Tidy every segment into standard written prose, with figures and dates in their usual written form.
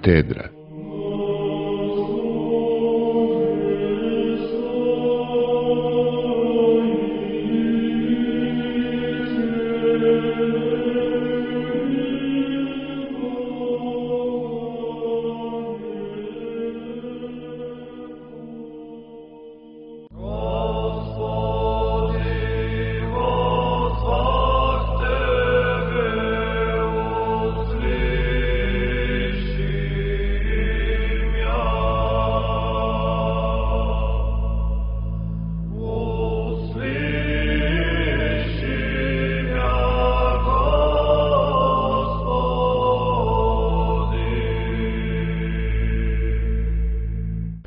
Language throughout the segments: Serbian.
katedra.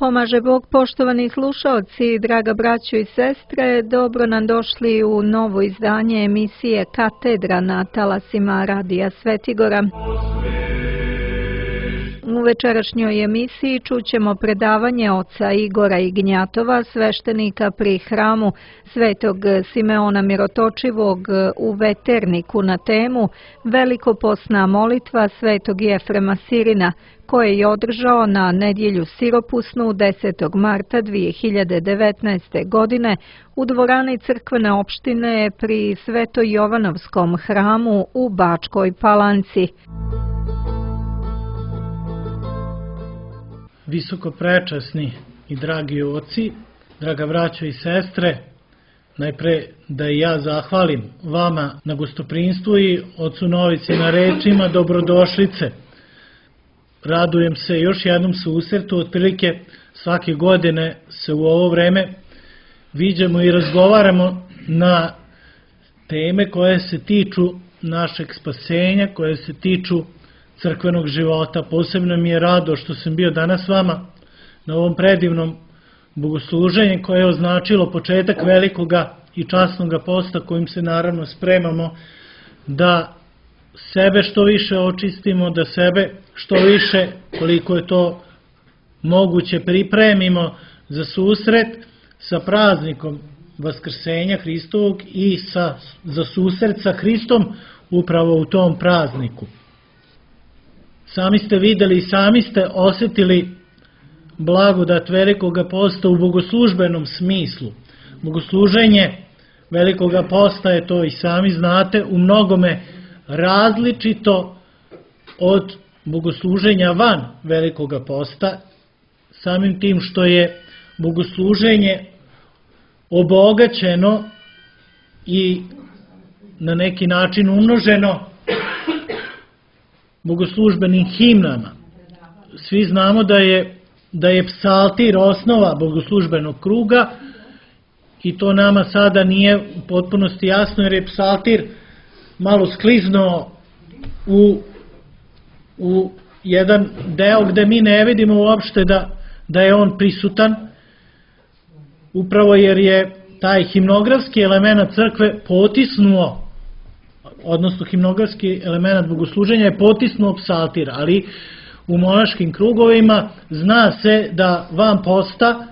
Pomaže Bog, poštovani slušaoci, draga braćo i sestre, dobro nam došli u novo izdanje emisije Katedra na talasima Radija Svetigora. U večerašnjoj emisiji čućemo predavanje oca Igora Ignjatova, sveštenika pri hramu Svetog Simeona Mirotočivog u Veterniku na temu Velikoposna molitva Svetog Jefrema Sirina, koje je održao na nedjelju siropusnu 10. marta 2019. godine u dvorani crkvene opštine pri Sveto-Jovanovskom hramu u Bačkoj Palanci. Visoko prečasni i dragi oci, draga braćo i sestre, najpre da i ja zahvalim vama na gostoprinstvu i ocu Novici na rečima dobrodošlice. Radujem se još jednom susretu, otprilike svake godine se u ovo vreme viđamo i razgovaramo na teme koje se tiču našeg spasenja, koje se tiču crkvenog života. Posebno mi je rado što sam bio danas s vama na ovom predivnom bogosluženju koje je označilo početak velikoga i časnoga posta kojim se naravno spremamo da sebe što više očistimo, da sebe što više, koliko je to moguće, pripremimo za susret sa praznikom Vaskrsenja Hristovog i za susret sa Hristom upravo u tom prazniku. Sami ste videli i sami ste osjetili blagodat velikoga posta u bogoslužbenom smislu. Bogosluženje velikoga posta je, to i sami znate, u mnogome različito od bogosluženja van velikoga posta, samim tim što je bogosluženje obogaćeno i na neki način umnoženo bogoslužbenim himnama. Svi znamo da je psaltir osnova bogoslužbenog kruga i to nama sada nije u potpunosti jasno, jer je psaltir malo skliznuo u jedan deo gde mi ne vidimo uopšte da je on prisutan, upravo jer je taj himnografski element crkve potisnuo, odnosno himnografski element bogosluženja je potisnuo psaltir, ali u monaškim krugovima zna se da van posta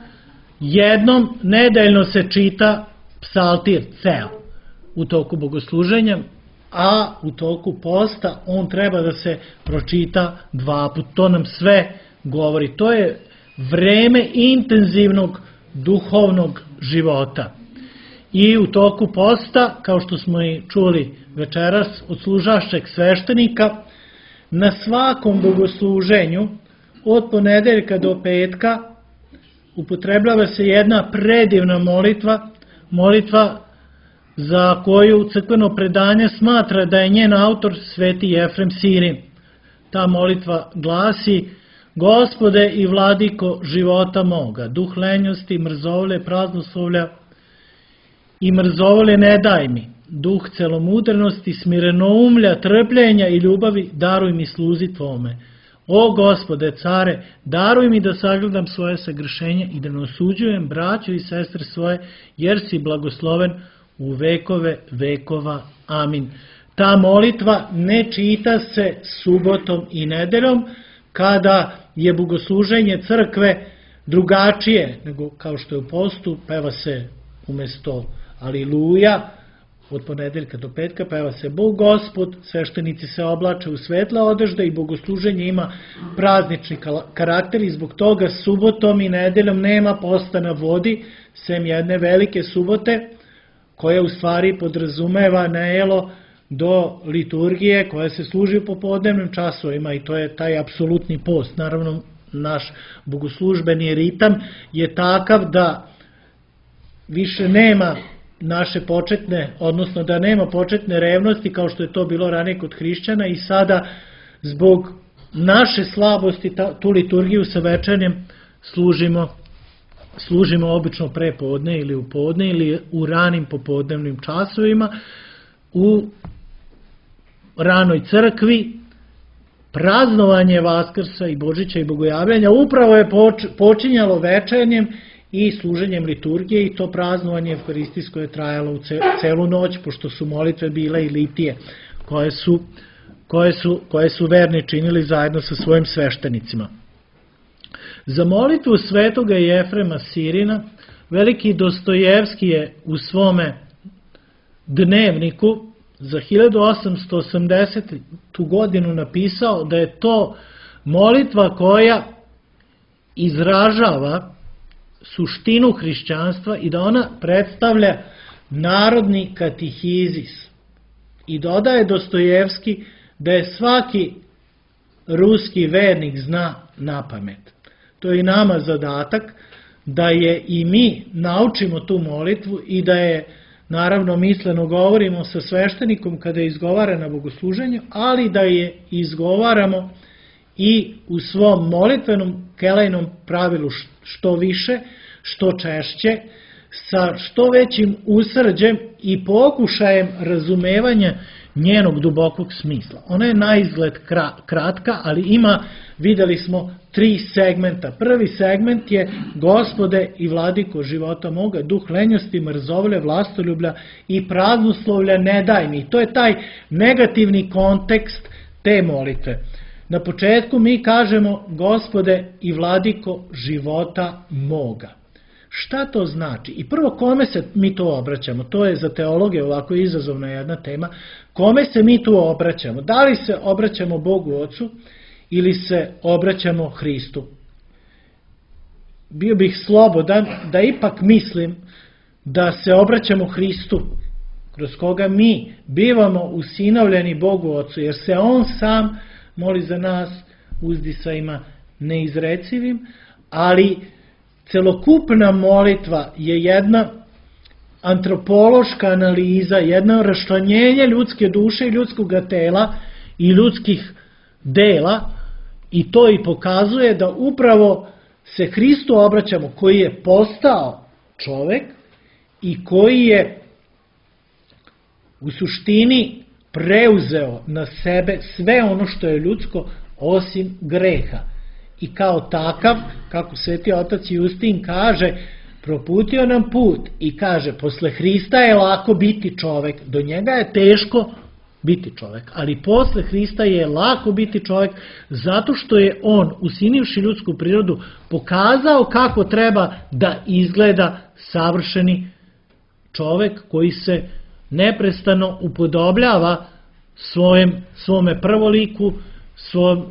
jednom nedeljno se čita psaltir ceo u toku bogosluženja, a u toku posta on treba da se pročita 2 puta. To nam sve govori. To je vreme intenzivnog duhovnog života. I u toku posta, kao što smo i čuli večeras od služašćeg sveštenika, na svakom bogosluženju od ponedeljka do petka upotrebljava se jedna predivna molitva za koju crkveno predanje smatra da je njen autor Sveti Jefrem Sirin. Ta molitva glasi: Gospode i vladiko života moga, duh lenjosti, mrzovlje, praznoslovlja i mrzovlje ne daj mi, duh celomudrnosti, smirenoumlja, trpljenja i ljubavi daruj mi sluzi Tvome. O Gospode, care, daruj mi da sagledam svoje sagrešenje i da ne osuđujem braću i sestre svoje, jer si blagosloven u vekove vekova. Amin. Ta molitva ne čita se subotom i nedeljom, kada je bogosluženje crkve drugačije nego kao što je u postu, peva se umjesto Aliluja, od ponedeljka do petka peva se Bog Gospod, sveštenici se oblače u svetla odežda i bogosluženje ima praznični karakter i zbog toga subotom i nedeljom nema posta na vodi, sem jedne velike subote, koja u stvari podrazumeva najelo do liturgije koja se služi u popodnevnim časovima i to je taj apsolutni post. Naravno, naš bogoslužbeni ritam je takav da više nema naše početne, odnosno da nema početne revnosti kao što je to bilo ranije kod hrišćana i sada zbog naše slabosti tu liturgiju sa večernjem služimo obično pre podne ili u podne ili u ranim popodnevnim časovima u ranoj crkvi. Praznovanje Vaskrsa i Božića i Bogojavljanja upravo je počinjalo večernjem i služenjem liturgije i to praznovanje evharistijsko je trajalo u celu noć, pošto su molitve bile i litije koje su verni činili zajedno sa svojim sveštenicima. Za molitvu svetoga Jefrema Sirina veliki Dostojevski je u svome dnevniku za 1880. godinu napisao da je to molitva koja izražava suštinu hrišćanstva i da ona predstavlja narodni katehizis. I dodaje Dostojevski da je svaki ruski vernik zna napamet. To je i nama zadatak da je i mi naučimo tu molitvu i da je, naravno, misleno govorimo sa sveštenikom kada je izgovara na bogosluženju, ali da je izgovaramo i u svom molitvenom kelejnom pravilu što više, što češće, sa što većim usrđem i pokušajem razumevanja njenog dubokog smisla. Ona je na izgled kratka, ali ima, videli smo, 3 segmenta. Prvi segment je Gospode i vladiko života moga, duh lenjosti, mrzovlje, vlastoljublja i praznoslovlja ne daj mi. To je taj negativni kontekst te molitve. Na početku mi kažemo Gospode i vladiko života moga. Šta to znači? I prvo, kome se mi to obraćamo? To je za teologe ovako izazovna jedna tema. Kome se mi tu obraćamo? Da li se obraćamo Bogu Ocu ili se obraćamo Hristu? Bio bih slobodan da ipak mislim da se obraćamo Hristu, kroz koga mi bivamo usinovljeni Bogu Ocu, jer se On sam moli za nas uzdisajima neizrecivim, ali celokupna molitva je jedna antropološka analiza, jedno raščlanjenje ljudske duše i ljudskog tela i ljudskih dela i to i pokazuje da upravo se Hristu obraćamo, koji je postao čovek i koji je u suštini preuzeo na sebe sve ono što je ljudsko osim greha. I kao takav, kako Sveti otac Justin kaže, proputio nam put i kaže, posle Hrista je lako biti čovek, do njega je teško biti čovek, ali posle Hrista je lako biti čovek zato što je on, usinivši ljudsku prirodu, pokazao kako treba da izgleda savršeni čovek koji se neprestano upodobljava svome prvoliku, svom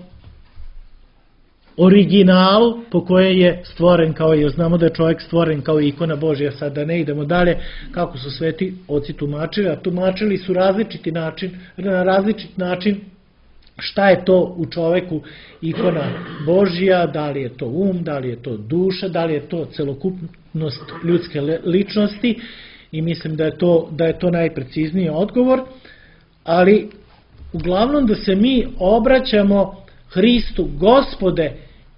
originalu po koje je stvoren kao i, znamo da je čovjek stvoren kao ikona Božja, sad da ne idemo dalje kako su sveti oci tumačili, a tumačili su na različit način šta je to u čoveku ikona Božja, da li je to da li je to duša, da li je to celokupnost ljudske ličnosti i mislim da je to najprecizniji odgovor, ali uglavnom da se mi obraćamo Hristu, Gospode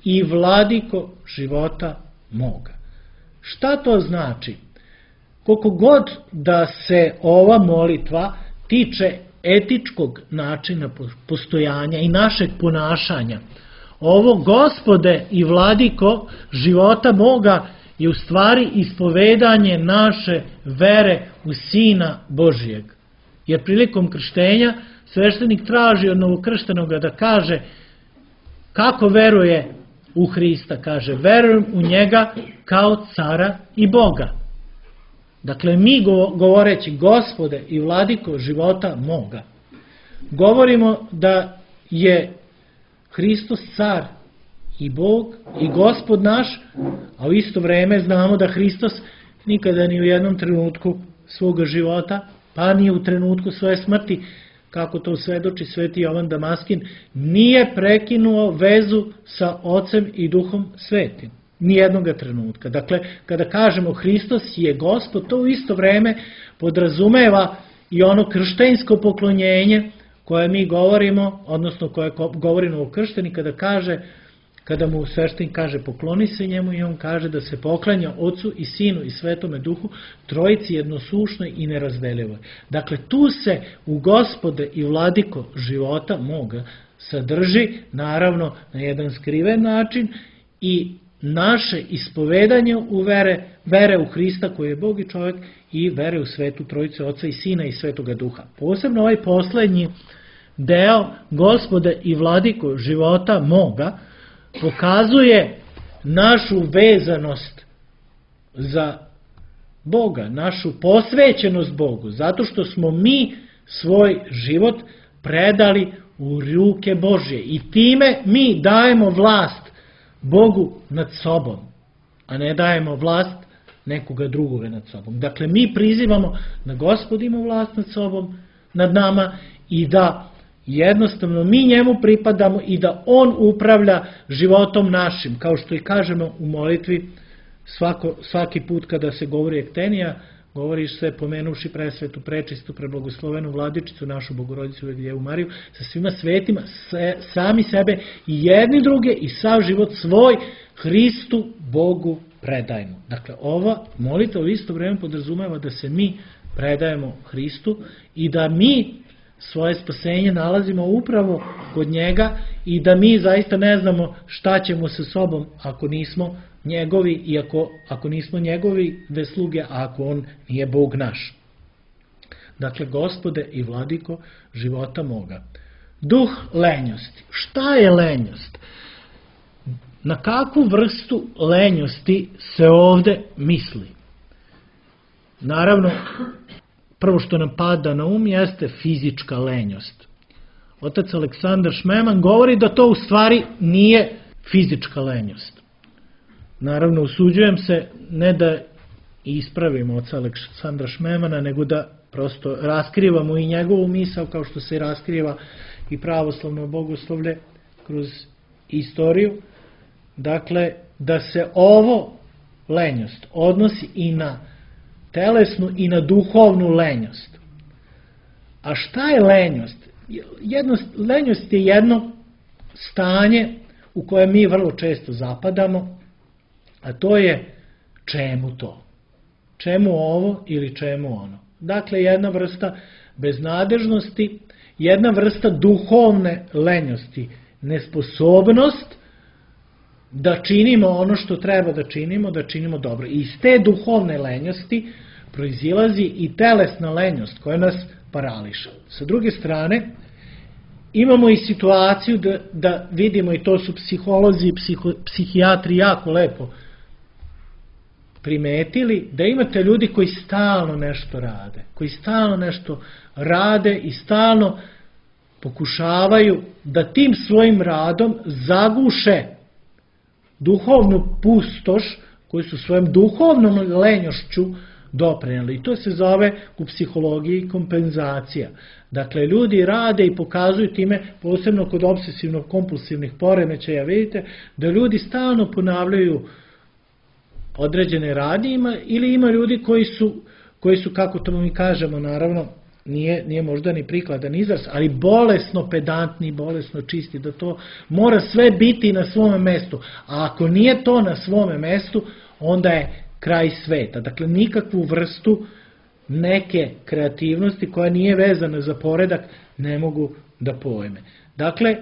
i vladiko života moga. Šta to znači? Koliko god da se ova molitva tiče etičkog načina postojanja i našeg ponašanja, ovo Gospode i vladiko života moga je u stvari ispovedanje naše vere u Sina Božijeg. Jer prilikom krštenja sveštenik traži od novokrštenoga da kaže kako veruje u Hrista. Kaže, verujem u njega kao cara i Boga. Dakle, mi govoreći Gospode i Vladiko života moga, govorimo da je Hristos car i Bog i Gospod naš, a u isto vreme znamo da Hristos nikada ni u jednom trenutku svoga života, pa ni u trenutku svoje smrti, kako to svedoči sveti Jovan Damaskin, nije prekinuo vezu sa Ocem i Duhom Svetim. Nijednoga trenutka. Dakle, kada kažemo Hristos je Gospod, to u isto vreme podrazumeva i ono krštenjsko poklonjenje koje mi govorimo, odnosno koje govorimo o kršteni, kada mu sveštenik kaže pokloni se njemu i on kaže da se poklanja Ocu i Sinu i Svetome Duhu, trojici jednosušnoj i nerazdeljivoj. Dakle, tu se u Gospode i Vladiko života moga sadrži, naravno, na jedan skriven način i naše ispovedanje u vere u Hrista koji je Bog i čovjek i vere u Svetu Trojicu Oca i Sina i Svetoga Duha. Posebno ovaj poslednji deo Gospode i Vladiko života moga pokazuje našu vezanost za Boga, našu posvećenost Bogu, zato što smo mi svoj život predali u ruke Božje i time mi dajemo vlast Bogu nad sobom, a ne dajemo vlast nekoga drugoga nad sobom. Dakle, mi prizivamo da Gospod ima vlast nad sobom, nad nama i da jednostavno mi njemu pripadamo i da on upravlja životom našim, kao što i kažemo u molitvi svaki put kada se govori ektenija, govoriš se pomenuši presvetu, prečistu, preblagoslovenu Vladičicu, našu Bogorodicu Djevu Mariju, sa svima svetima, sami sebe i jedni druge i sav život svoj Hristu Bogu predajemo. Dakle, ova molitva u isto vreme podrazumeva da se mi predajemo Hristu i da mi svoje spasenje nalazimo upravo kod njega i da mi zaista ne znamo šta ćemo sa sobom ako nismo njegovi i ako nismo njegovi sluge, a ako on nije Bog naš. Dakle, Gospode i Vladiko života moga. Duh lenjosti. Šta je lenjost? Na kakvu vrstu lenjosti se ovde misli? Naravno, prvo što nam pada na jeste fizička lenjost. Otac Aleksandar Šmeman govori da to u stvari nije fizička lenjost. Naravno, usuđujem se ne da ispravimo oca Aleksandra Šmemana, nego da prosto raskrivamo i njegovu misao, kao što se raskriva i pravoslavno bogoslovlje kroz istoriju. Dakle, da se ovo lenjost odnosi i na telesnu i na duhovnu lenjost. A šta je lenjost? Lenjost je jedno stanje u koje mi vrlo često zapadamo, a to je čemu to? Čemu ovo ili čemu ono? Dakle, jedna vrsta beznadežnosti, jedna vrsta duhovne lenjosti, nesposobnost da činimo ono što treba da činimo dobro. I iz te duhovne lenjosti proizilazi i telesna lenjost koja nas parališa. Sa druge strane, imamo i situaciju da vidimo, i to su psiholozi i psihijatri jako lepo primetili, da imate ljudi koji stalno nešto rade i stalno pokušavaju da tim svojim radom zaguše duhovnu pustoš koju su svojom duhovnom lenjošću doprinijeli. I to se zove u psihologiji kompenzacija. Dakle, ljudi rade i pokazuju time, posebno kod obsesivno-kompulsivnih poremećaja, vidite, da ljudi stalno ponavljaju određene radnje, ili ima ljudi koji su, kako to mi kažemo, naravno, nije možda ni prikladan izraz, ali bolesno pedantni, bolesno čisti, da to mora sve biti na svome mestu. A ako nije to na svome mestu, onda je kraj sveta. Dakle, nikakvu vrstu neke kreativnosti koja nije vezana za poredak ne mogu da pojme. Dakle,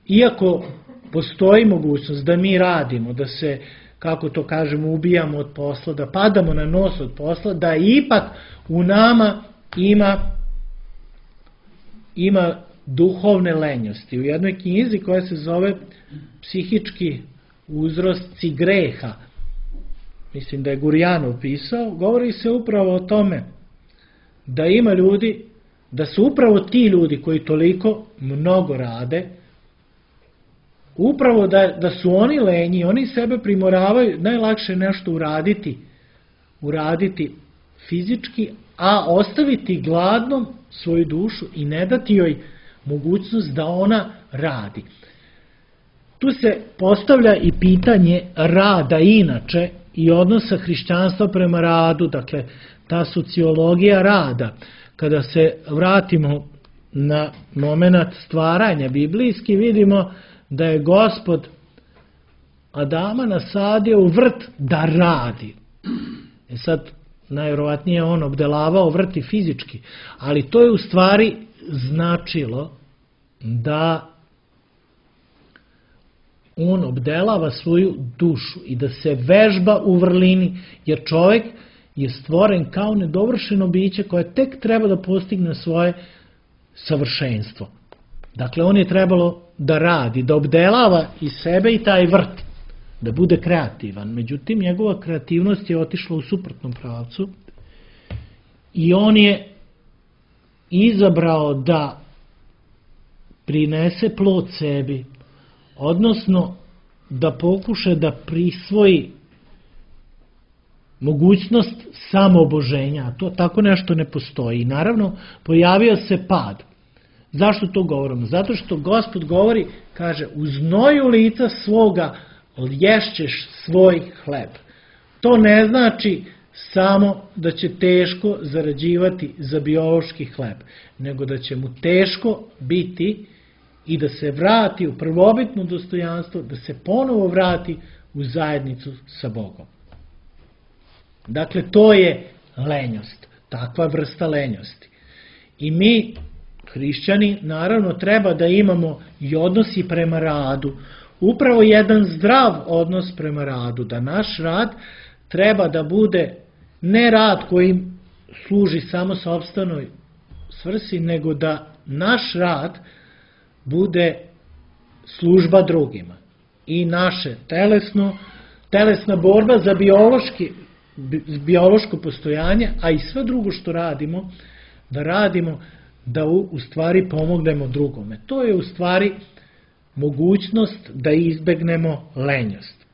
iako postoji mogućnost da mi radimo, da se, kako to kažemo, ubijamo od posla, da padamo na nos od posla, da ipak u nama ima duhovne lenjosti. U jednoj knjizi koja se zove Psihički uzrosci greha, mislim da je Gurjanov pisao, govori se upravo o tome da ima ljudi, da su upravo ti ljudi koji toliko mnogo rade, upravo da su oni lenji, oni sebe primoravaju, najlakše nešto uraditi fizički, a ostaviti gladnom svoju dušu i ne dati joj mogućnost da ona radi. Tu se postavlja i pitanje rada inače i odnosa hrišćanstva prema radu, dakle ta sociologija rada. Kada se vratimo na moment stvaranja biblijski, vidimo da je Gospod Adama nasadio u vrt da radi. Sad, najvjerovatnije on obdelavao vrt i fizički, ali to je u stvari značilo da on obdelava svoju dušu i da se vežba u vrlini, jer čovjek je stvoren kao nedovršeno biće koje tek treba da postigne svoje savršenstvo. Dakle, on je trebalo da radi, da obdelava i sebe i taj vrt, da bude kreativan. Međutim, njegova kreativnost je otišla u suprotnom pravcu i on je izabrao da prinese plod sebi, odnosno da pokuša da prisvoji mogućnost samooboženja, a to tako nešto ne postoji. I naravno, pojavio se pad. Zašto to govorimo? Zato što Gospod govori, kaže, u znoju lica svoga ješćeš svoj hleb. To ne znači samo da će teško zarađivati za biološki hleb, nego da će mu teško biti i da se vrati u prvobitno dostojanstvo, da se ponovo vrati u zajednicu sa Bogom. Dakle, to je lenjost, takva vrsta lenjosti. I mi, hrišćani, naravno treba da imamo i odnosi prema radu, upravo jedan zdrav odnos prema radu, da naš rad treba da bude ne rad koji služi samo sopstvenoj svrsi, nego da naš rad bude služba drugima. I naše telesna borba za biološko postojanje, a i sve drugo što radimo, da u stvari pomognemo drugome. To je u stvari mogućnost da izbegnemo lenjost.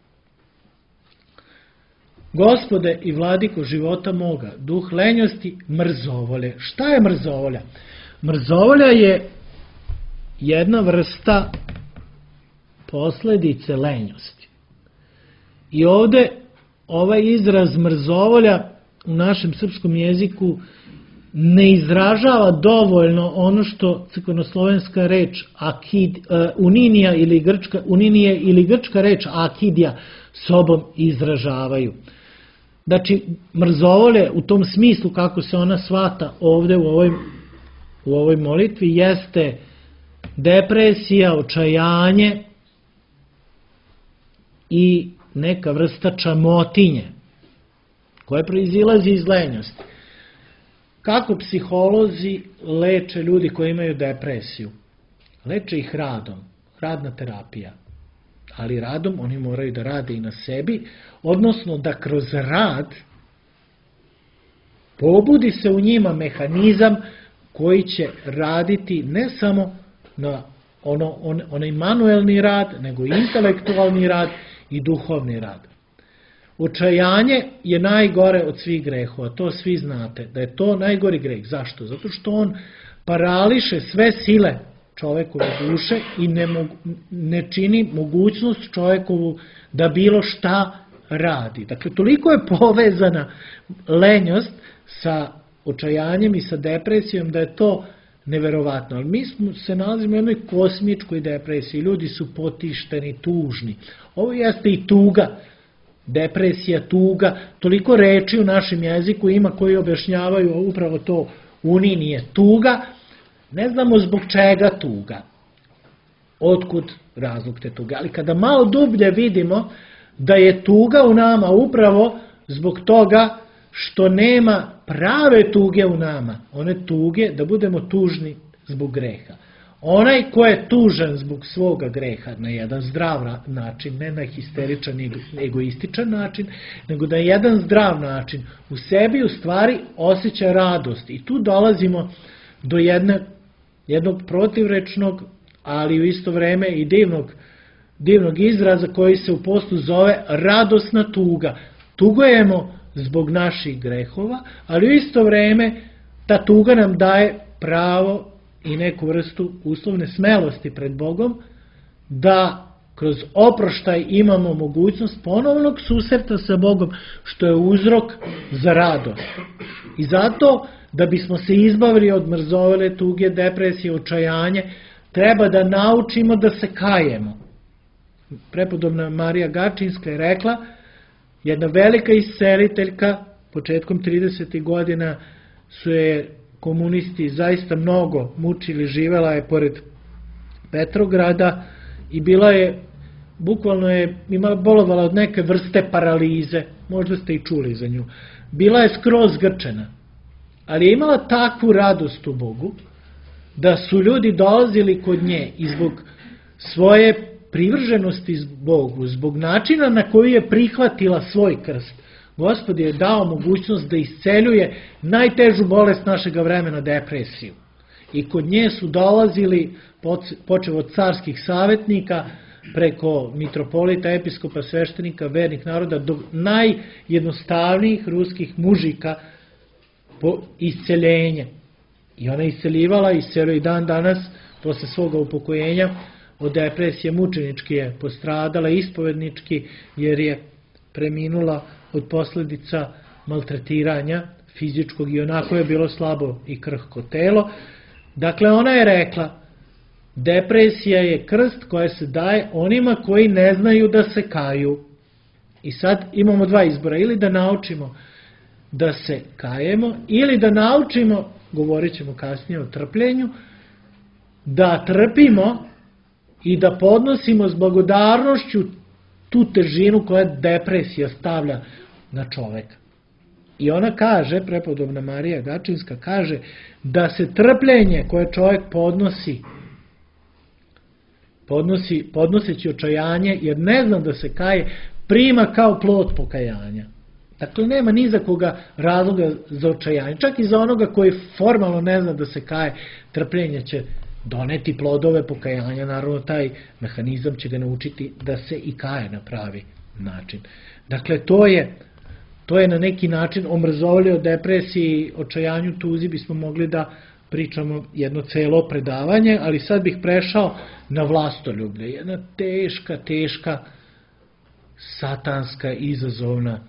Gospode i vladiko života moga, duh lenjosti, mrzovolje. Šta je mrzovolja? Mrzovolja je jedna vrsta posljedice lenjosti. I ovde ovaj izraz mrzovolja u našem srpskom jeziku ne izražava dovoljno ono što crkvenoslovenska reč uninije ili grčka reč akidija sobom izražavaju. Znači, mrzovolje u tom smislu kako se ona shvata ovde u ovoj molitvi jeste depresija, očajanje i neka vrsta čamotinje koja proizilazi iz lenjosti. Kako psiholozi leče ljudi koji imaju depresiju? Leče ih radom, radna terapija. Ali radom oni moraju da rade i na sebi, odnosno da kroz rad pobudi se u njima mehanizam koji će raditi ne samo na onaj manuelni rad, nego i intelektualni rad i duhovni rad. Očajanje je najgore od svih grehova, to svi znate, da je to najgori greh. Zašto? Zato što on parališe sve sile čovekove duše i ne čini mogućnost čovekovu da bilo šta radi. Dakle, toliko je povezana lenjost sa očajanjem i sa depresijom da je to neverovatno. Ali mi se nalazimo u jednoj kosmičkoj depresiji, ljudi su potišteni, tužni. Ovo jeste i tuga, depresija, tuga, toliko reči u našem jeziku ima koji objašnjavaju upravo to uninije. Tuga, ne znamo zbog čega tuga, otkud razlog te tuge, ali kada malo dublje vidimo da je tuga u nama upravo zbog toga što nema prave tuge u nama, one tuge da budemo tužni zbog greha. Onaj ko je tužan zbog svoga greha na jedan zdrav način, ne na histeričan i egoističan način, nego na jedan zdrav način, u sebi u stvari osjeća radost. I tu dolazimo do jednog protivrečnog, ali u isto vreme i divnog izraza koji se u postu zove radosna tuga. Tugujemo zbog naših grehova, ali u isto vreme ta tuga nam daje pravo i neku vrstu uslovne smelosti pred Bogom, da kroz oproštaj imamo mogućnost ponovnog susreta sa Bogom, što je uzrok za radost. I zato, da bismo se izbavili od mrzovele tuge, depresije, očajanje, treba da naučimo da se kajemo. Prepodobna Marija Gačinska je rekla, jedna velika isceliteljka, početkom 30. godina su je komunisti zaista mnogo mučili, živela je pored Petrograda i bukvalno je bolovala od neke vrste paralize, možda ste i čuli za nju. Bila je skroz grčena, ali je imala takvu radost u Bogu, da su ljudi dolazili kod nje i zbog svoje privrženosti Bogu, zbog načina na koji je prihvatila svoj krst, Gospod je dao mogućnost da isceljuje najtežu bolest našega vremena, depresiju. I kod nje su dolazili, počev od carskih savjetnika, preko mitropolita, episkopa, sveštenika, vernih naroda, do najjednostavnijih ruskih mužika po isceljenje. I ona isceljivala, isceljuje i dan danas, posle svoga upokojenja, od depresije mučenički je postradala, ispovednički, jer je preminula od posljedica maltretiranja fizičkog i onako je bilo slabo i krhko telo. Dakle, ona je rekla, depresija je krst koja se daje onima koji ne znaju da se kaju. I sad imamo dva izbora, ili da naučimo da se kajemo, ili da naučimo, govorit ćemo kasnije o trpljenju, da trpimo i da podnosimo s blagodarnošću tu težinu koja depresija stavlja na čoveka. I ona kaže, prepodobna Marija Gačinska kaže, da se trpljenje koje čovjek podnoseći očajanje, jer ne zna da se kaje, prima kao plod pokajanja. Dakle, nema ni za koga razloga za očajanje. Čak i za onoga koji formalno ne zna da se kaje, trpljenje će doneti plodove pokajanja. Naravno, taj mehanizam će ga naučiti da se i kaje na pravi način. Dakle, to je na neki način omrzovali o depresiji, očajanju, tuzi, bismo mogli da pričamo jedno celo predavanje, ali sad bih prešao na vlastoljublje. Jedna teška, satanska, izazovna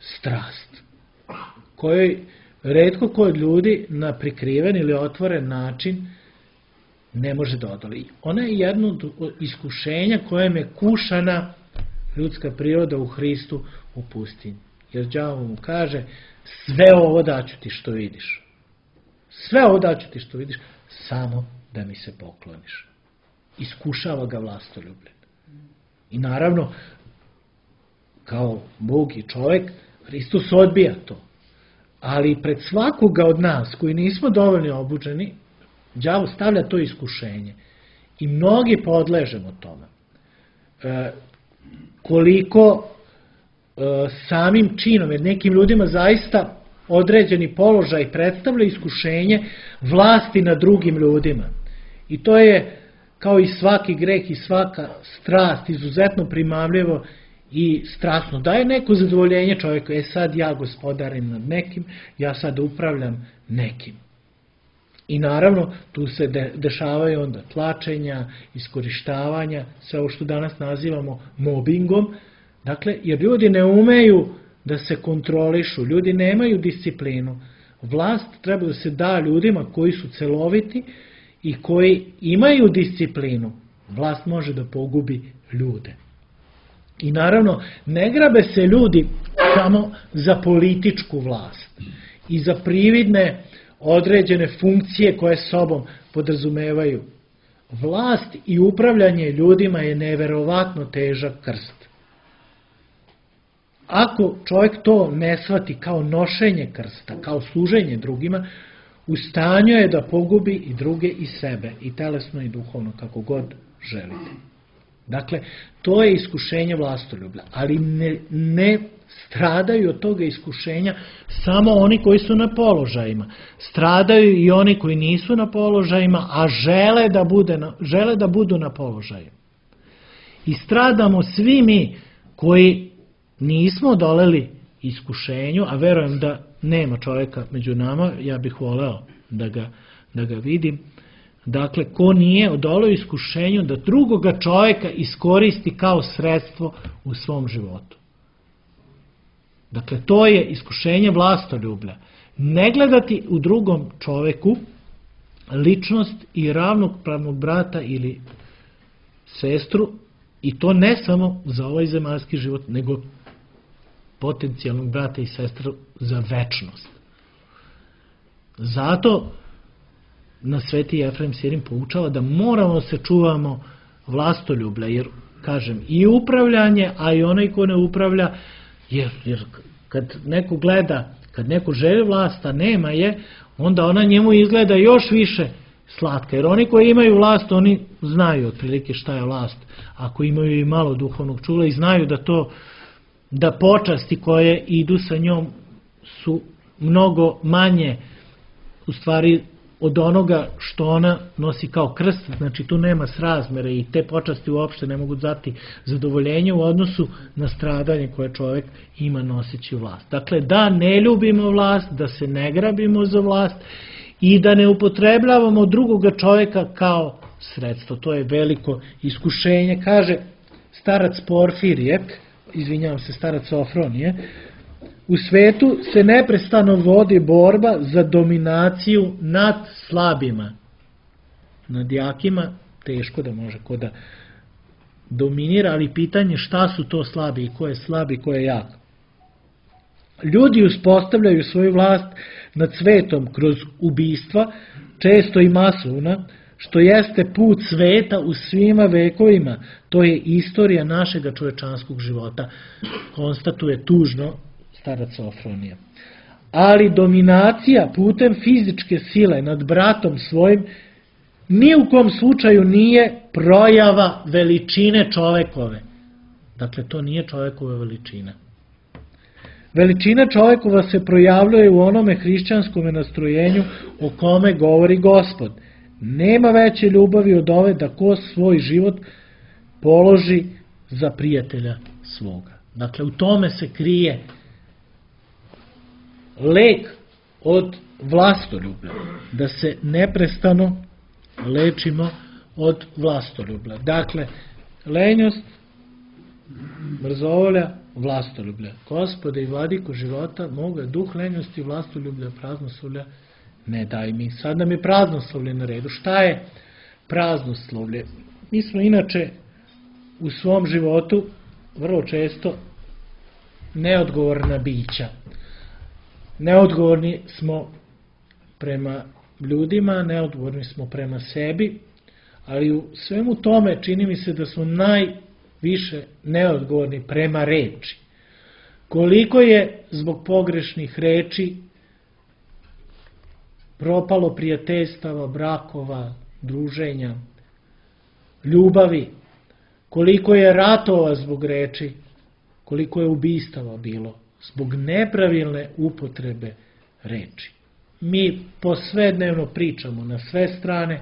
strast, kojoj retko ko od ljudi na prikriven ili otvoren način ne može da odoli. Ona je jedno od iskušenja kojem je kušana ljudska priroda u Hristu u pustinji. Jer đavo mu kaže, sve ovo daću ti što vidiš. Sve ovo daću ti što vidiš, samo da mi se pokloniš. Iskušava ga vlastoljubljen. I naravno, kao Bog i čovjek, Hristos odbija to. Ali pred svakoga od nas, koji nismo dovoljno obučeni, đavo stavlja to iskušenje. I mnogi podležemo tome. Koliko samim činom, jer nekim ljudima zaista određeni položaj predstavlja iskušenje vlasti nad drugim ljudima. I to je, kao i svaki greh i svaka strast, izuzetno primamljivo i strasno. Daje neko zadovoljenje čovjeku, sad ja gospodarim nad nekim, ja sad upravljam nekim. I naravno, tu se dešavaju onda tlačenja, iskorištavanja, sve ovo što danas nazivamo mobingom. Dakle, jer ljudi ne umeju da se kontrolišu, ljudi nemaju disciplinu. Vlast treba da se da ljudima koji su celoviti i koji imaju disciplinu. Vlast može da pogubi ljude. I naravno, ne grabe se ljudi samo za političku vlast i za prividne određene funkcije koje sobom podrazumevaju. Vlast i upravljanje ljudima je neverovatno težak krst. Ako čovjek to ne shvati kao nošenje krsta, kao služenje drugima, u stanju je da pogubi i druge i sebe, i telesno i duhovno, kako god želite. Dakle, to je iskušenje vlastoljublja, ali ne stradaju od toga iskušenja samo oni koji su na položajima. Stradaju i oni koji nisu na položajima, a žele da budu na položaju. I stradamo svi mi koji nismo odoleli iskušenju, a verujem da nema čovjeka među nama, ja bih voleo da ga vidim. Dakle, ko nije odoleo iskušenju da drugoga čovjeka iskoristi kao sredstvo u svom životu. Dakle, to je iskušenje vlastoljublja. Ne gledati u drugom čovjeku ličnost i ravnopravnog brata ili sestru, i to ne samo za ovaj zemaljski život, nego potencijalnog brata i sestru za večnost. Zato nas Sveti Jefrem Sirin poučava da moramo se čuvamo vlastoljublja, jer, kažem, i upravljanje, a i onaj ko ne upravlja, jer kad neko gleda, kad neko želi vlast, a nema je, onda ona njemu izgleda još više slatka, jer oni koji imaju vlast, oni znaju otprilike šta je vlast, ako imaju i malo duhovnog čula, i znaju da počasti koje idu sa njom su mnogo manje, u stvari, od onoga što ona nosi kao krst. Znači, tu nema srazmere i te počasti uopšte ne mogu dati zadovoljenje u odnosu na stradanje koje čovjek ima noseći vlast. Dakle, da ne ljubimo vlast, da se ne grabimo za vlast i da ne upotrebljavamo drugoga čovjeka kao sredstvo. To je veliko iskušenje. Kaže starac Porfirije, starac Sofronije, u svetu se neprestano vodi borba za dominaciju nad slabima. Nad jakima teško da može ko da dominira, ali pitanje šta su to slabi i ko je slab i ko je jak. Ljudi uspostavljaju svoju vlast nad svetom kroz ubistva, često i masovna, što jeste put sveta u svima vekovima. To je istorija našega čovečanskog života, konstatuje tužno starac Sofronija. Ali dominacija putem fizičke sile nad bratom svojim ni u kom slučaju nije projava veličine čovekove. Dakle, to nije čovekova veličina. Veličina čovekova se projavljuje u onome hrišćanskome nastrojenju o kome govori Gospod. Nema veće ljubavi od ove da ko svoj život položi za prijatelja svoga. Dakle, u tome se krije lek od vlastoljublja, da se neprestano lečimo od vlastoljublja. Dakle, lenjost, mrzovolja, vlastoljublja. Gospode i vladiko života moga, duh lenjosti, vlastoljublja, praznoslovlja, ne daj mi. Sad nam je praznoslovlje na redu. Šta je praznoslovlje? Mi smo inače u svom životu vrlo često neodgovorna bića. Neodgovorni smo prema ljudima, neodgovorni smo prema sebi, ali u svemu tome čini mi se da smo najviše neodgovorni prema reči. Koliko je zbog pogrešnih reči propalo prijateljstava, brakova, druženja, ljubavi, koliko je ratova zbog reči, koliko je ubistava bilo zbog nepravilne upotrebe reči. Mi posvednevno pričamo na sve strane,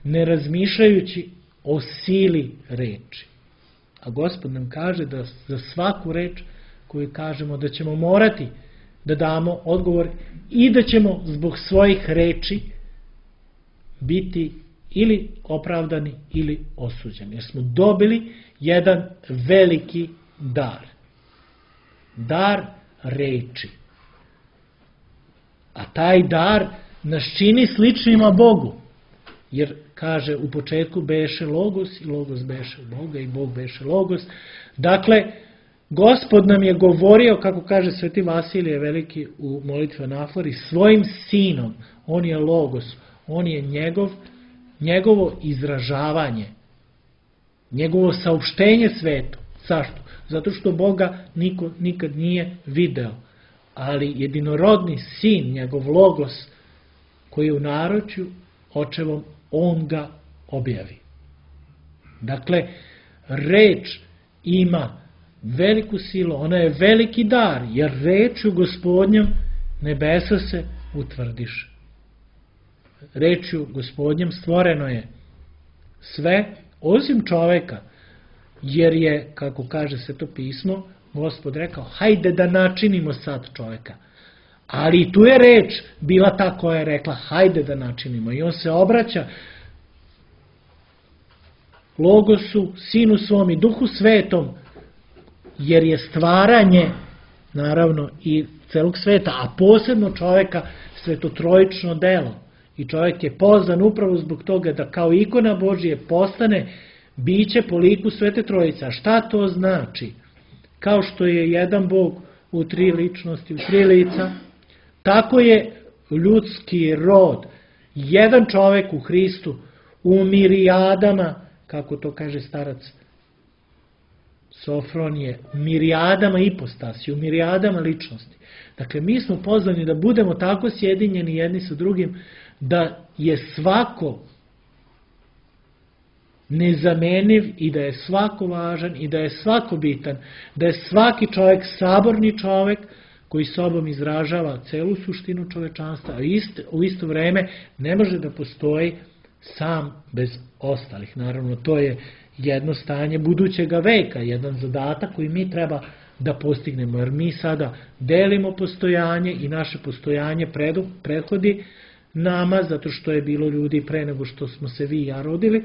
ne razmišljajući o sili reči. A Gospod nam kaže da za svaku reč koju kažemo da ćemo morati da damo odgovor i da ćemo zbog svojih reči biti ili opravdani ili osuđeni. Jer smo dobili jedan veliki dar. Dar reči. A taj dar nas čini sličnima Bogu. Jer, kaže, u početku beše Logos i Logos beše Boga i Bog beše Logos. Dakle, Gospod nam je govorio, kako kaže Sveti Vasilije Veliki u molitvi Anafori, svojim sinom. On je Logos. On je njegovo izražavanje. Njegovo saopštenje svetu. Zašto? Zato što Boga niko nikad nije video. Ali jedinorodni sin, njegov Logos, koji je u naručju očevom, on ga objavi. Dakle, reč ima veliku silu, ona je veliki dar, jer rečju Gospodnjom nebesa se utvrdiše. Rečju Gospodnjom stvoreno je sve, osim čoveka, jer je, kako kaže Sveto pismo, Gospod rekao, hajde da načinimo sad čoveka. Ali tu je reč bila ta koja je rekla, hajde da načinimo. I on se obraća Logosu, Sinu svom i Duhu Svetom, jer je stvaranje, naravno, i celog sveta, a posebno čoveka, svetotrojično delo. I čovjek je pozvan upravo zbog toga da kao ikona Božije postane biće po liku Svete Trojice. A šta to znači? Kao što je jedan Bog u tri ličnosti, u tri lica, tako je ljudski rod, jedan čovjek u Hristu, u mirijadama, kako to kaže starac Sofronije, u mirijadama ipostasi, u mirijadama ličnosti. Dakle, mi smo pozvani da budemo tako sjedinjeni jedni sa drugim, da je svako nezameniv i da je svako važan i da je svako bitan, da je svaki čovjek saborni čovjek koji sobom izražava celu suštinu čovečanstva, a u isto vreme ne može da postoji sam bez ostalih. Naravno, to je jedno stanje budućega veka, jedan zadatak koji mi treba da postignemo, jer mi sada delimo postojanje i naše postojanje prethodi nama, zato što je bilo ljudi pre nego što smo se vi i ja rodili.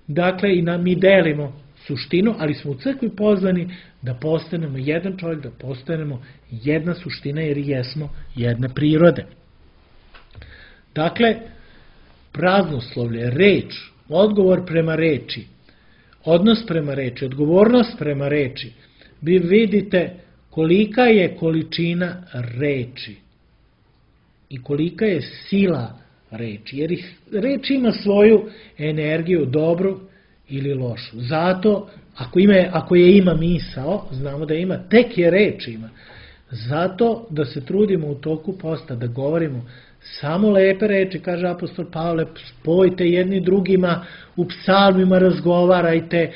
Dakle, i mi delimo suštinu, ali smo u crkvi pozvani da postanemo jedan čovjek, da postanemo jedna suština, jer jesmo jedne prirode. Dakle, praznoslovlje, reč, odgovor prema reči, odnos prema reči, odgovornost prema reči, vi vidite kolika je količina reči i kolika je sila reči, jer reč ima svoju energiju, dobru ili lošu. Zato, ako je ima misao, znamo da ima, tek je reč ima. Zato da se trudimo u toku posta, da govorimo samo lepe reči, kaže apostol Pavle, spojite jedni drugima, u psalmima razgovarajte,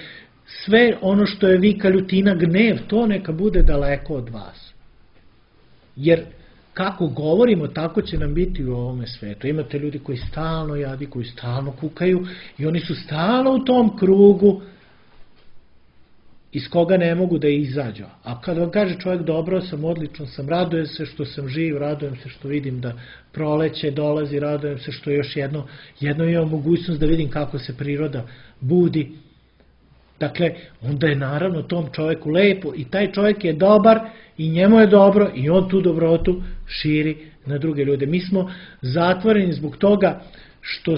sve ono što je vika, ljutina, gnev, to neka bude daleko od vas. Jer kako govorimo, tako će nam biti u ovome svetu. Imate ljudi koji stalno jadi, koji stalno kukaju i oni su stalno u tom krugu iz koga ne mogu da izađu. A kad vam kaže čovjek, dobro sam, odlično sam, radujem se što sam živ, radujem se što vidim da proleće dolazi, radujem se što još jedno imam mogućnost da vidim kako se priroda budi. Dakle, onda je naravno tom čovjeku lepo i taj čovjek je dobar i njemu je dobro i on tu dobrotu širi na druge ljude. Mi smo zatvoreni zbog toga što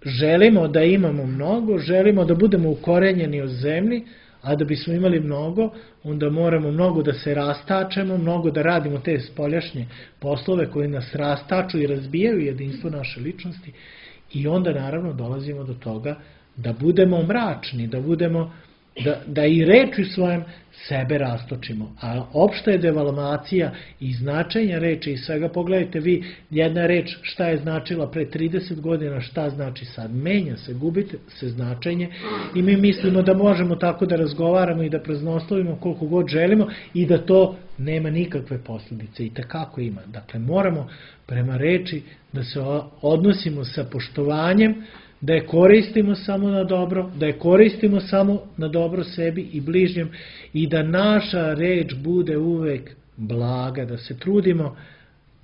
želimo da imamo mnogo, želimo da budemo ukorenjeni od zemlji, a da bismo imali mnogo, onda moramo mnogo da se rastačemo, mnogo da radimo te spoljašnje poslove koji nas rastaču i razbijaju jedinstvo naše ličnosti i onda naravno dolazimo do toga da budemo mračni, da i reči svojem sebe rastočimo. A opšta je devalvacija i značenja reči i svega. Pogledajte vi, jedna reč šta je značila pre 30 godina, šta znači sad. Menja se, gubite se značenje i mi mislimo da možemo tako da razgovaramo i da praznoslovimo koliko god želimo i da to nema nikakve posljedice. I tekako ima. Dakle, moramo prema reči da se odnosimo sa poštovanjem, da je koristimo samo na dobro, da je koristimo samo na dobro sebi i bližnjem i da naša reč bude uvek blaga, da se trudimo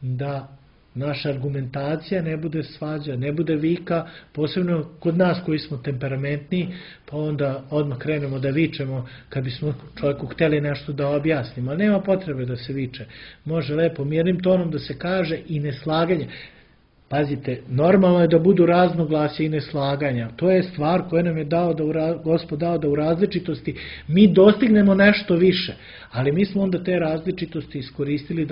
da naša argumentacija ne bude svađa, ne bude vika, posebno kod nas koji smo temperamentni, pa onda odmah krenemo da vičemo kad bismo čovjeku hteli nešto da objasnimo, ali nema potrebe da se viče. Može lepo mirnim tonom da se kaže i neslaganje. Pazite, normalno je da budu raznoglasja i neslaganja. To je stvar koja nam je Gospod dao da u različitosti mi dostignemo nešto više. Ali mi smo onda te različitosti iskoristili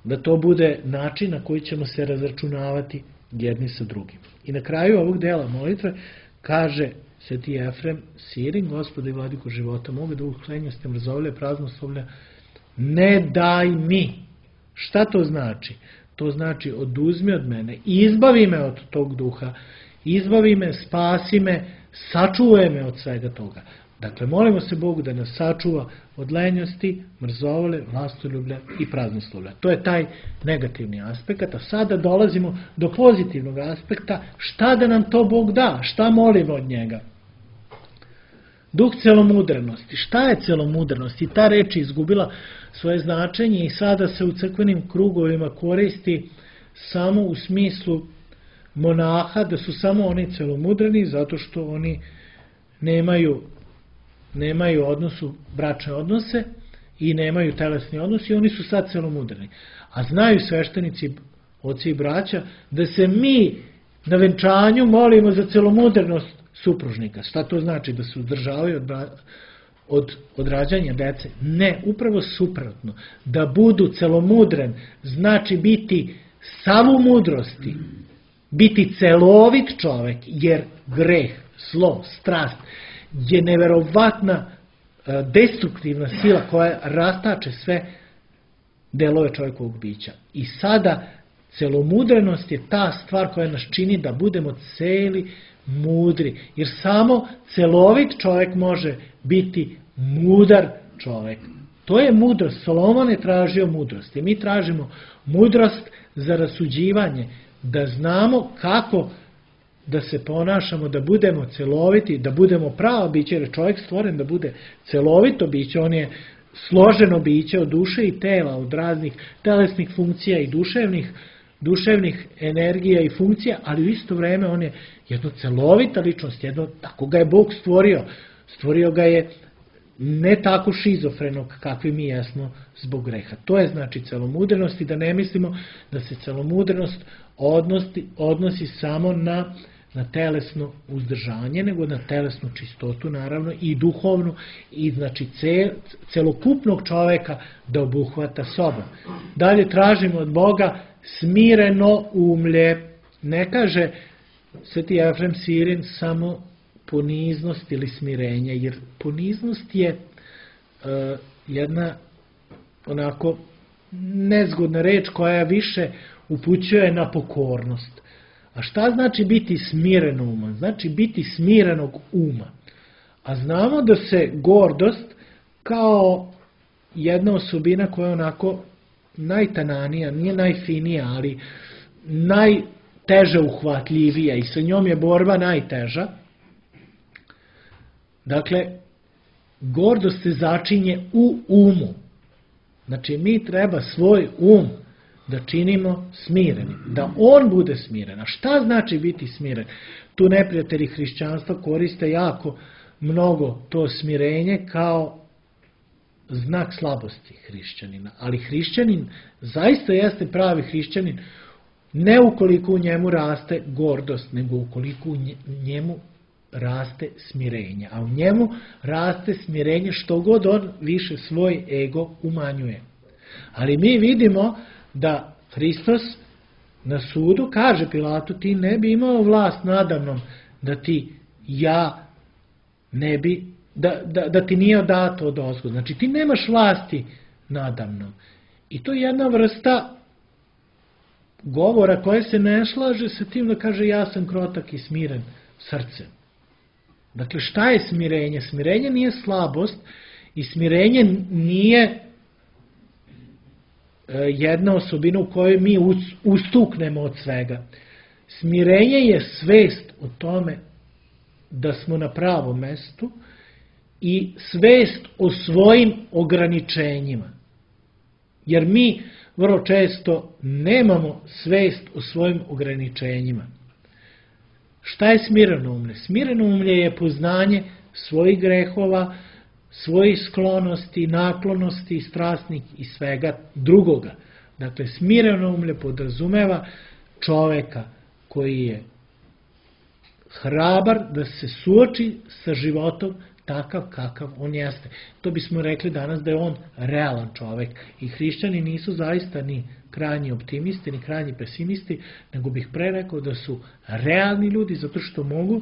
da to bude način na koji ćemo se razračunavati jedni sa drugim. I na kraju ovog dela molitve kaže Sveti Efrem, Sirin, Gospode i Vladiko života, moga da uklenjastem razovlje praznoslovlja, ne daj mi. Šta to znači? to znači oduzmi od mene, izbavi me od tog duha, izbavi me, spasi me, sačuvaj me od svega toga. Dakle, molimo se Bogu da nas sačuva od lenjosti, mrzovole, vlastoljublja i praznoslovlja. To je taj negativni aspekt, a sada dolazimo do pozitivnog aspekta, šta da nam to Bog da, šta molimo od njega. Duh celomudrenosti. Šta je celomudrenost? I ta reč je izgubila svoje značenje i sada se u crkvenim krugovima koristi samo u smislu monaha, da su samo oni celomudreni zato što oni nemaju bračne odnose i nemaju telesni odnos i oni su sad celomudreni. A znaju sveštenici, oci i braća, da se mi na venčanju molimo za celomudrenost supružnika. Šta to znači? Da se uzdržavaju od rađanja dece? Ne, upravo suprotno. Da budu celomudren znači biti sav u mudrosti, biti celovit čovek, jer greh, zlo, strast je neverovatna destruktivna sila koja rastače sve delove čovjekovog bića. I sada celomudrenost je ta stvar koja nas čini da budemo celi mudri, jer samo celovit čovjek može biti mudar čovjek. To je mudrost. Solomon je tražio mudrost i mi tražimo mudrost za rasuđivanje, da znamo kako da se ponašamo, da budemo celoviti, da budemo pravo biće, jer je čovjek stvoren da bude celovito biće, on je složeno biće od duše i tela, od raznih telesnih funkcija i duševnih energija i funkcija, ali u isto vreme on je jedno celovita ličnost, tako ga je Bog stvorio. Stvorio ga je ne tako šizofrenog kakvi mi jesmo zbog greha. To je znači celomudrenost i da ne mislimo da se celomudrenost odnosi samo na telesno uzdržanje, nego na telesnu čistotu naravno i duhovnu i znači celokupnog čoveka da obuhvata sobom. Dalje tražimo od Boga smireno umlje. Ne kaže Sveti Efrem Sirin samo poniznost ili smirenje, jer poniznost je jedna onako nezgodna reč koja više upućuje na pokornost. A šta znači biti smireno uma? Znači biti smirenog uma. A znamo da se gordost kao jedna osobina koja je onako najtananija, nije najfinija, ali najteže uhvatljivija i sa njom je borba najteža. Dakle, gordost se začinje u umu. Znači, mi treba svoj da činimo smirenim, da on bude smiren. A šta znači biti smiren? Tu neprijatelji hrišćanstva koriste jako mnogo to smirenje kao znak slabosti hrišćanina. Ali hrišćanin zaista jeste pravi hrišćanin ne ukoliko u njemu raste gordost, nego ukoliko u njemu raste smirenje. A u njemu raste smirenje što god on više svoj ego umanjuje. Ali mi vidimo da Hristos na sudu kaže Pilatu, ti ne bi imao vlast nadamnom da ti nije dato od ozgo. Znači ti nemaš vlasti nadamnom. I to je jedna vrsta govora koja se ne slaže sa tim da kaže ja sam krotak i smiren srcem. Dakle, šta je smirenje? Smirenje nije slabost i smirenje nije jedna osobina u kojoj mi ustuknemo od svega. Smirenje je svest o tome da smo na pravom mestu i svest o svojim ograničenjima. Jer mi vrlo često nemamo svest o svojim ograničenjima. Šta je smireno umlje? Smireno umlje je poznanje svojih grehova, svojih sklonosti, naklonosti, strasnih i svega drugoga. Dakle, smireno umlje podrazumeva čoveka koji je hrabar da se suoči sa životom takav kakav on jeste. To bismo rekli danas da je on realan čovek. I hrišćani nisu zaista ni krajnji optimisti, ni krajnji pesimisti, nego bih pre rekao da su realni ljudi, zato što mogu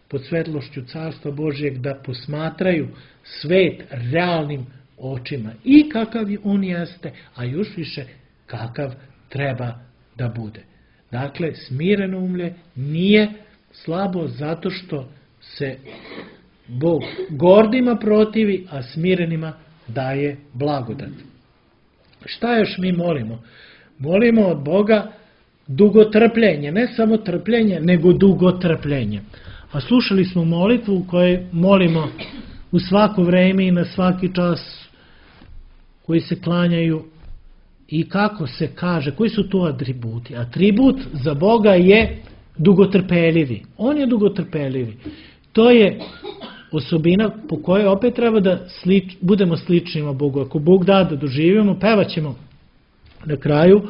pod svetlošću Carstva Božijeg da posmatraju svet realnim očima i kakav on jeste, a još više kakav treba da bude. Dakle, smireno umlje nije slabo zato što se Bog gordima protivi, a smirenima daje blagodat. Šta još mi molimo? Molimo od Boga dugotrpljenje, ne samo trpljenje, nego dugotrpljenje. A slušali smo molitvu u kojoj molimo u svako vreme i na svaki čas, koji se klanjaju i kako se kaže, koji su to atributi? Atribut za Boga je dugotrpeljivi. On je dugotrpeljivi. To je osobina po kojoj opet treba da budemo sličnima Bogu. Ako Bog da doživimo, pevaćemo na kraju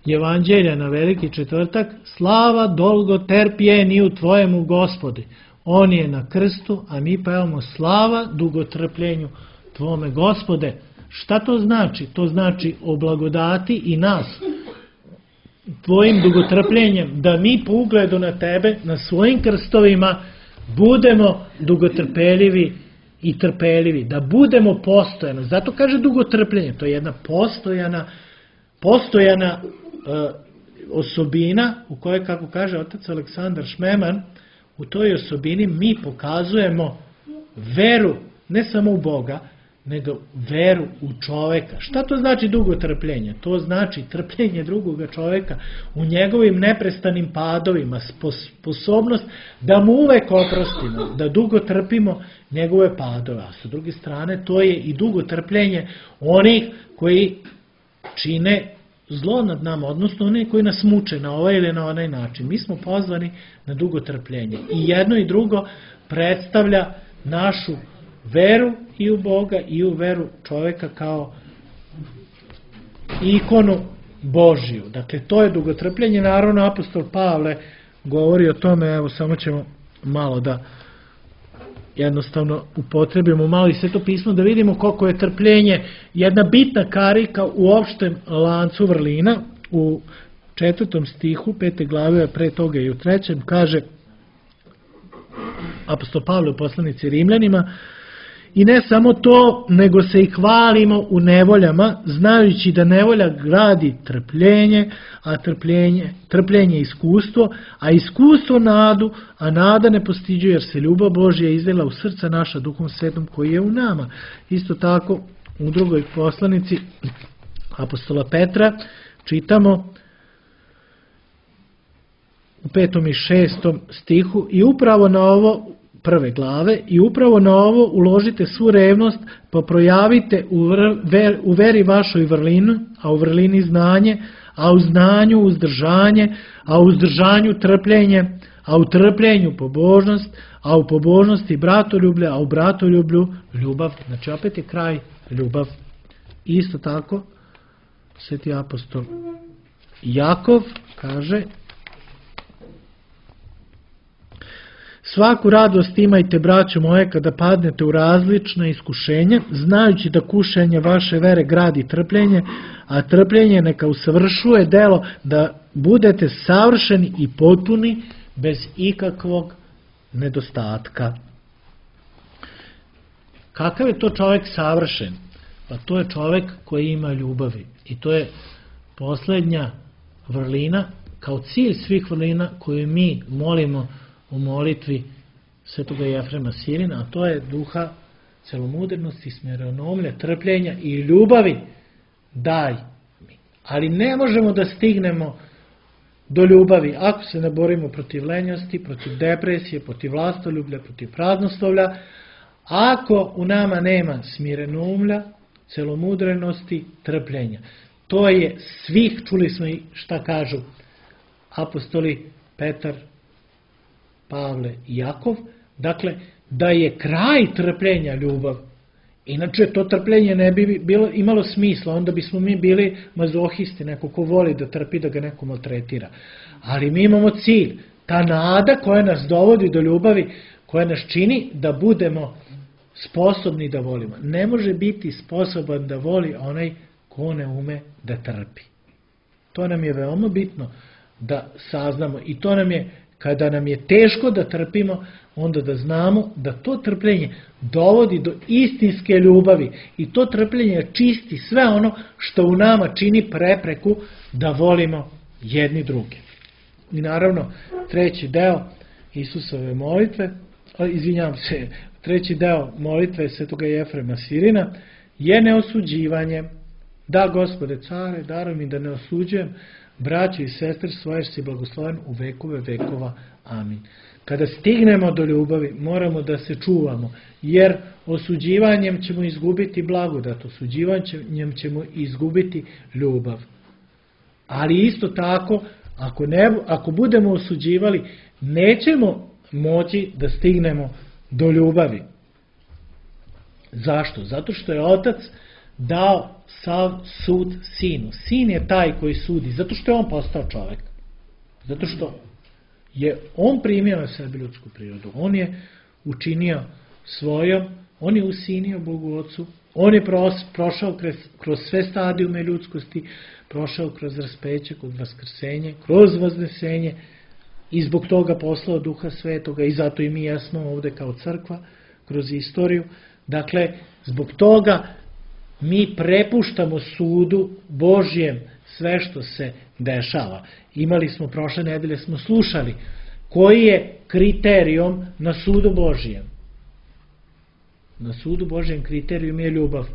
Evanđelja na Veliki četvrtak: slava dolgo terpjeni u Tvojemu Gospodi. On je na krstu, a mi pevamo slava dugotrpljenju Tvome Gospode. Šta to znači? To znači oblagodati i nas Tvojim dugotrpljenjem, da mi po ugledu na Tebe, na svojim krstovima, budemo dugotrpeljivi i trpeljivi, da budemo postojano. Zato kaže dugotrpljenje, to je jedna postojana osobina u kojoj, kako kaže otac Aleksandar Šmeman, u toj osobini mi pokazujemo veru ne samo u Boga, nego veru u čoveka. Šta to znači dugotrpljenje? To znači trpljenje drugoga čoveka u njegovim neprestanim padovima, sposobnost da mu uvek oprostimo, da dugo trpimo njegove padove. A sa druge strane, to je i dugotrpljenje onih koji čine zlo nad nama, odnosno oni koji nas muče na ovaj ili na onaj način. Mi smo pozvani na dugotrpljenje. I jedno i drugo predstavlja našu veru i u Boga i u veru čoveka kao ikonu Božiju. Dakle, to je dugotrpljenje. Naravno, apostol Pavle govori o tome, evo samo ćemo malo da jednostavno upotrebimo malo i Sveto pismo da vidimo koliko je trpljenje jedna bitna karika u opštem lancu vrlina. U 4. stihu 5. glave, a pre toga i u 3. kaže apostol Pavle u poslanici Rimljanima: i ne samo to, nego se i hvalimo u nevoljama, znajući da nevolja gradi trpljenje, a trpljenje iskustvo, a iskustvo nadu, a nada ne postiđuje, jer se ljubav Božja izlila u srca naša Duhom Svetom koji je u nama. Isto tako u drugoj poslanici apostola Petra čitamo u 5. i 6. stihu: i upravo na ovo, 1. glave, i upravo na ovo uložite svu revnost, pa projavite u veri vašoj vrlinu, a u vrlini znanje, a u znanju uzdržanje, a u uzdržanju trpljenje, a u trpljenju pobožnost, a u pobožnosti bratoljublje, a u bratoljublju ljubav. Znači opet je kraj ljubav. Isto tako sveti apostol Jakov kaže: svaku radost imajte, braćo moje, kada padnete u različna iskušenja, znajući da kušenje vaše vere gradi trpljenje, a trpljenje neka usavršuje delo, da budete savršeni i potpuni bez ikakvog nedostatka. Kakav je to čovjek savršen? Pa to je čovjek koji ima ljubavi. I to je posljednja vrlina, kao cilj svih vrlina koju mi molimo u molitvi svetoga Jefrema Sirina, a to je duha celomudrnosti, smirenomlja, trpljenja i ljubavi daj mi. Ali ne možemo da stignemo do ljubavi ako se ne borimo protiv lenjosti, protiv depresije, protiv vlastoljublja, protiv praznoslovlja, ako u nama nema smirenomlja, celomudrenosti, trpljenja. To je svih, čuli smo i šta kažu apostoli Petar, Pavle i Jakov, dakle, da je kraj trpljenja ljubav. Inače, to trpljenje ne bi imalo smisla, onda bismo mi bili mazohisti, neko ko voli da trpi, da ga neko maltretira. Ali mi imamo cilj, ta nada koja nas dovodi do ljubavi, koja nas čini da budemo sposobni da volimo. Ne može biti sposoban da voli onaj ko ne ume da trpi. To nam je veoma bitno da saznamo i to nam je kada nam je teško da trpimo, onda da znamo da to trpljenje dovodi do istinske ljubavi i to trpljenje čisti sve ono što u nama čini prepreku da volimo jedni druge. I naravno, treći deo Isusove molitve, treći deo molitve Svetoga Jefrema Sirina je neosuđivanje. Da, Gospode care, daruj mi da ne osuđujem braću i sestre svoje, si blagosloven u vekove vekova. Amin. Kada stignemo do ljubavi, moramo da se čuvamo, jer osuđivanjem ćemo izgubiti blagodat, osuđivanjem ćemo izgubiti ljubav. Ali isto tako, ako budemo osuđivali, nećemo moći da stignemo do ljubavi. Zašto? Zato što je Otac dao sav sud Sinu. Sin je taj koji sudi, zato što je on postao čovek. Zato što je on primio na sebe ljudsku prirodu. On je učinio svojom, on je usinio Bogu Otcu, on je prošao kroz sve stadijume ljudskosti, prošao kroz raspeće, kroz vaskrsenje, kroz vaznesenje i zbog toga poslao Duha Svetoga i zato i mi jesmo ovde kao crkva kroz istoriju. Dakle, zbog toga mi prepuštamo sudu Božjem sve što se dešava. Imali smo, prošle nedelje smo slušali, koji je kriterijum na sudu Božjem. Na sudu Božjem kriterijum je ljubav.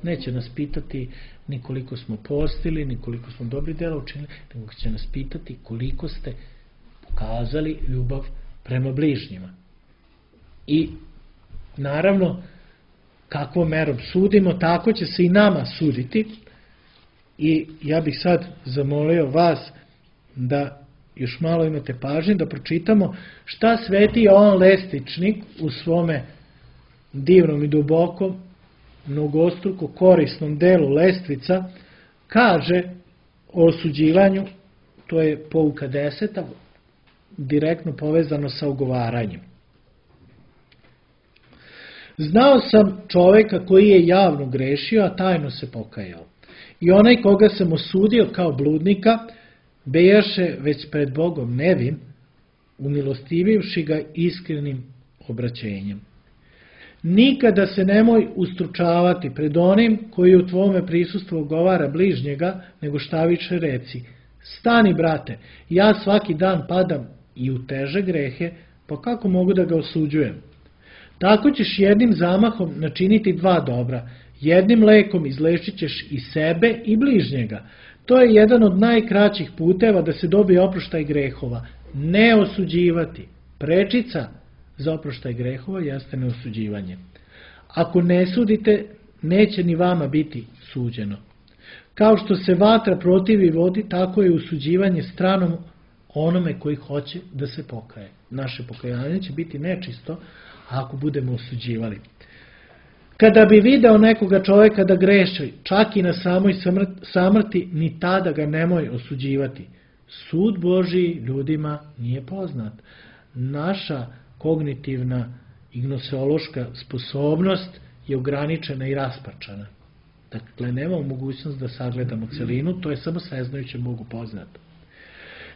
Neće nas pitati ni koliko smo postili, ni koliko smo dobri dela učinili, nego će nas pitati koliko ste pokazali ljubav prema bližnjima. I naravno, kakvom merom sudimo, tako će se i nama suditi. I ja bih sad zamolio vas da još malo imate pažnje, da pročitamo šta sveti Jovan Lestičnik u svome divnom i dubokom, mnogostruko korisnom delu Lestvica kaže o osuđivanju, to je pouka 10, direktno povezano sa ogovaranjem. Znao sam čoveka koji je javno grešio, a tajno se pokajao. I onaj koga sam osudio kao bludnika, bejaše već pred Bogom nevin, umilostivivši ga iskrenim obraćenjem. Nikada se nemoj ustručavati pred onim koji u tvome prisustvu ogovara bližnjega, nego šta više reci: stani, brate, ja svaki dan padam i u teže grehe, pa kako mogu da ga osuđujem? Tako ćeš jednim zamahom načiniti dva dobra, jednim lekom izlečit ćeš i sebe i bližnjega. To je jedan od najkraćih puteva da se dobije oproštaj grehova. Ne osuđivati. Prečica za oproštaj grehova jeste neosuđivanje. Ako ne sudite, neće ni vama biti suđeno. Kao što se vatra protivi vodi, tako je osuđivanje stranom onome koji hoće da se pokaje. Naše pokajanje će biti nečisto ako budemo osuđivali. Kada bi video nekoga čovjeka da greši, čak i na samoj samrti, ni tada ga nemoj osuđivati. Sud Božiji ljudima nije poznat. Naša kognitivna i gnoseološka sposobnost je ograničena i rasparčana. Dakle, nemamo mogućnost da sagledamo celinu, to je samo sveznajuće Bogu poznato.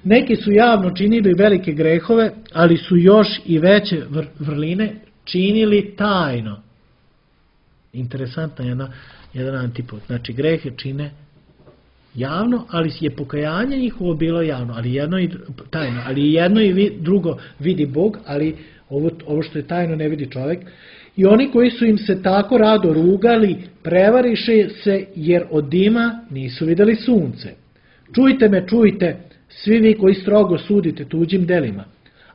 Neki su javno činili velike grehove, ali su još i veće vrline činili tajno. Interesantna jedan antipod. Znači, grehe čine javno, ali je pokajanje njihovo bilo javno, ali jedno i tajno. Ali jedno i drugo vidi Bog, ali ovo što je tajno ne vidi čovjek. I oni koji su im se tako rado rugali, prevariše se jer od dima nisu videli sunce. Čujte me, čujte, svi vi koji strogo sudite tuđim delima.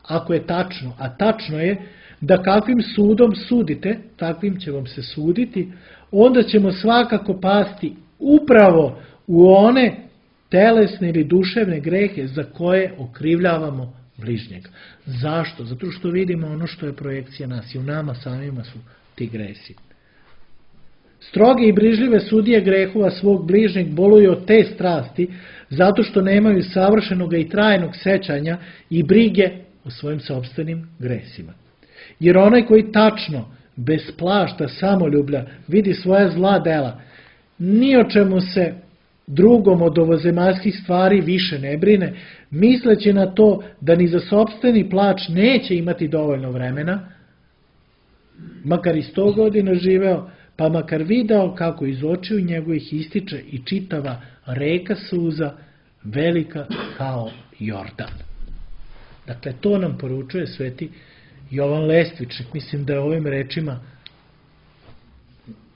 Ako je tačno, a tačno je, da kakvim sudom sudite, takvim će vam se suditi, onda ćemo svakako pasti upravo u one telesne ili duševne grehe za koje okrivljavamo bližnjega. Zašto? Zato što vidimo ono što je projekcija nas i u nama samima su ti gresi. Stroge i brižljive sudije grehova svog bližnjeg boluju od te strasti zato što nemaju savršenog i trajnog sećanja i brige o svojim sopstvenim gresima. Jer onaj koji tačno, bez plašta samoljublja, vidi svoja zla dela, ni o čemu se drugom od ovozemaljskih stvari više ne brine, misleći na to da ni za sopstveni plač neće imati dovoljno vremena, makar i 100 godina živeo, pa makar video kako iz očiju njegovih ističe i čitava reka suza, velika kao Jordan. Dakle, to nam poručuje sveti Jovan Lestvičnik. Mislim da je ovim rečima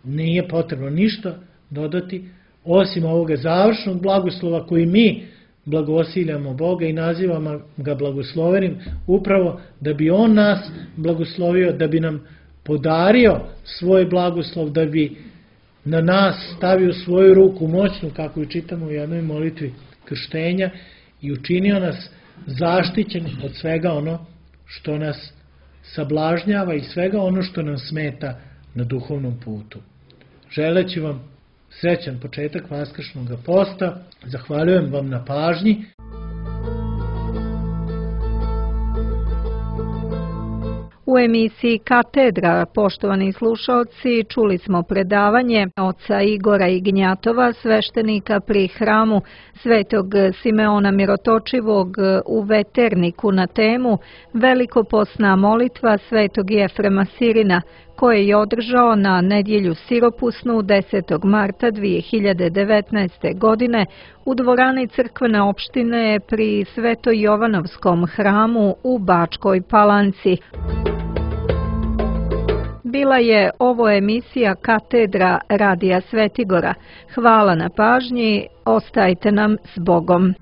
nije potrebno ništa dodati, osim ovoga završnog blagoslova koji mi blagosiljamo Boga i nazivamo ga blagoslovenim, upravo da bi On nas blagoslovio, da bi nam podario svoj blagoslov, da bi na nas stavio svoju ruku moćnu, kako ju čitamo u jednoj molitvi krštenja, i učinio nas zaštićeni od svega ono što nas sablažnjava i svega ono što nam smeta na duhovnom putu. Želeći vam srećan početak Vaskršnjeg posta, zahvaljujem vam na pažnji. U emisiji Katedra, poštovani slušaoci, čuli smo predavanje oca Igora Ignjatova, sveštenika pri hramu Svetog Simeona Mirotočivog u Veterniku na temu Velikoposna molitva Svetog Jefrema Sirina, koje je održao na nedjelju siropusnu 10. marta 2019. godine u dvorani crkvene opštine pri Sveto-Jovanovskom hramu u Bačkoj Palanci. Bila je ovo emisija Katedra Radija Svetigora. Hvala na pažnji, ostajte nam s Bogom.